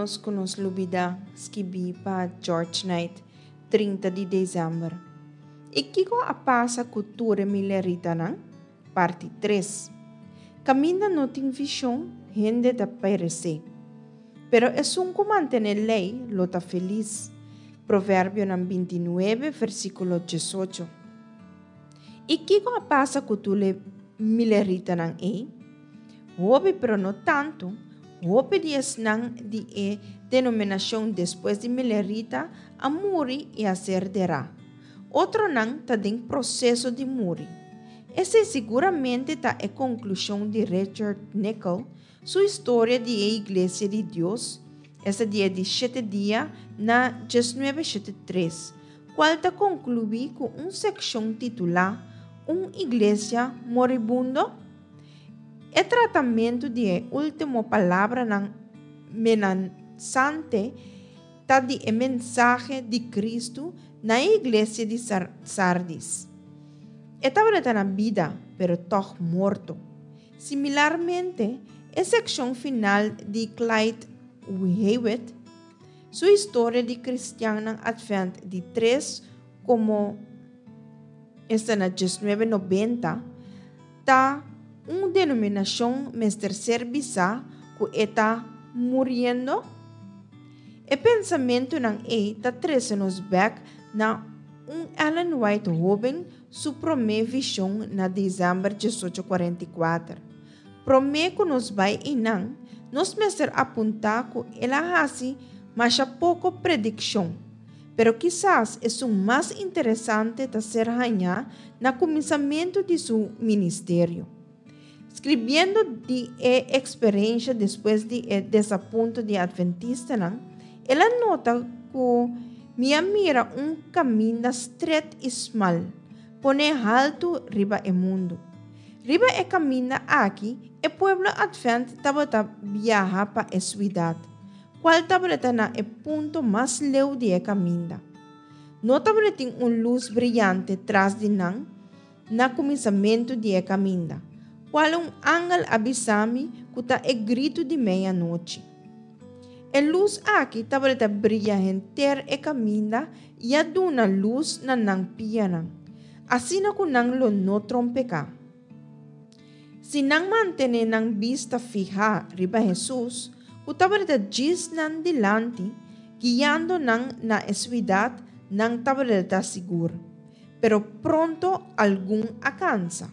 ménos ku nos lubidá, skibí pa George Knight, 30 di desèmber. I kiko a pasa ku tur e mileritanan? Parti 3. Kaminda no tin vishon, hende ta peresé. Pero esun ku mantené lei lo ta felis. Proverbionan 29, versíkulo 18. I kiko a pasa ku tur e mileritanan ei? Hopi, pero no tantu, hopi di esnan di e denominashon despues di milerita a muri i a ser derá. Otronan ta den proseso di muri. Esei siguramente ta e konklushon di Richard Nickel su historia di e Iglesia di Dios, esta di e di shete dia na 1973, kual ta konkluí ku un sekshon titulá Un Iglesia Moribundo? E tratamentu di e último palabranan menasante ta di e mensahe di Kristu na e iglesia di Sardis. E tabata na bida, pero tòg morto. Similarmente, e sekshon final di Clyde Hewitt su historia di kristiannan Advent di tres komo esta na 1990 ta un denominashon mester ser bisá ku e ta muriendo? E pensamentunan ei ta trese nos bèk na un Ellen White hóben su promé vishon na desèmber 1844. Promé ku nos bai einan, nos mester apuntá ku el a hasi masha poko predikshon. Pero kisas esun mas interesante ta ser hañá na kuminsamentu di su ministerio. Skribiendo di e eksperensha despues di e desapunto di atventistanan, el a nota ku mi a mira un kaminda stret i smal, poné haltu riba e mundu. Riba e kaminda aki, e pueblo atvent tabata biaha pa e suidat, kual tabata na e punto mas leu di e kaminda. No tabatin un lus briante tras di nan na kuminsamentu di e kaminda, kual un angel a bisa mi ku ta e gritu di meianochi. E lus aki tabata bria henter e kaminda i a duna lus na nan pianan, asina ku nan lo no trompeká. Si nan mantené nan bista fihá riba Hesus, ku tabata djis nan dilanti, guiando nan na e suidat, nan tabata sigur. Pero pronto algun a kansa.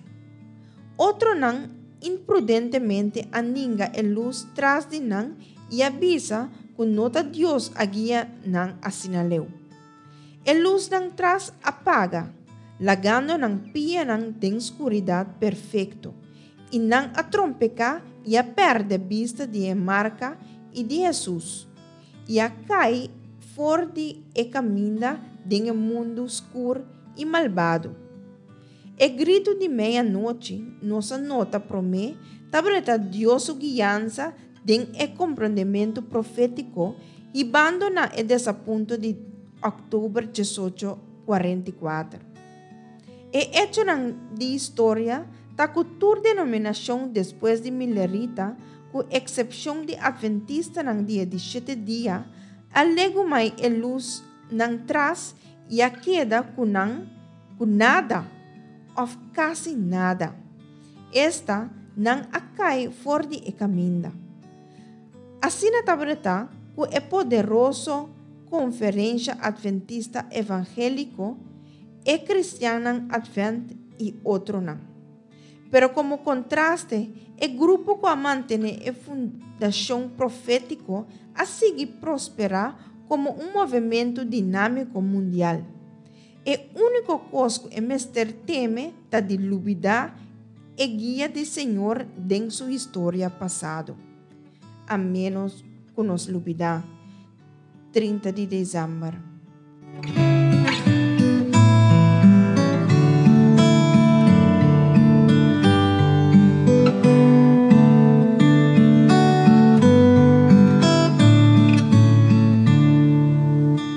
Otronan imprudentemente a ninga e lus tras di nan i a bisa ku no ta Dios a guia nan asina leu. E lusnan tras a paga, lagando nan pianan den skuridat perfekto, i nan a trompeká i a pèrdè bista di e marka i di Hesus, i a kai for di e kaminda den e mundu skur i malbado. E gritu di meianochi nos a nota promé tabata Dios su guiansa den e komprondementu profétiko hibando na e desapunto di òktober 1844. E echonan di historia ta ku tur denominashon despues di Milerita, ku eksepshon di atventistanan di e di shete dia, a legumai e lus nan tras i a keda ku nan ku nada òf kasi nada. Esta, nan a kai for di e kaminda. Asina tabata ku e poderoso Konferensha Adventista Evangéliko, e kristiannan Advent i otronan. Pero komo kontraste, e grupo ku a mantené e fundashon profétiko a sigui prosperá komo un movementu dinámiko mundial. E úniko kos ku e mester teme ta di lubidá e guia di Señor den su historia pasado. A ménos ku nos lubidá. 30 di desèmber.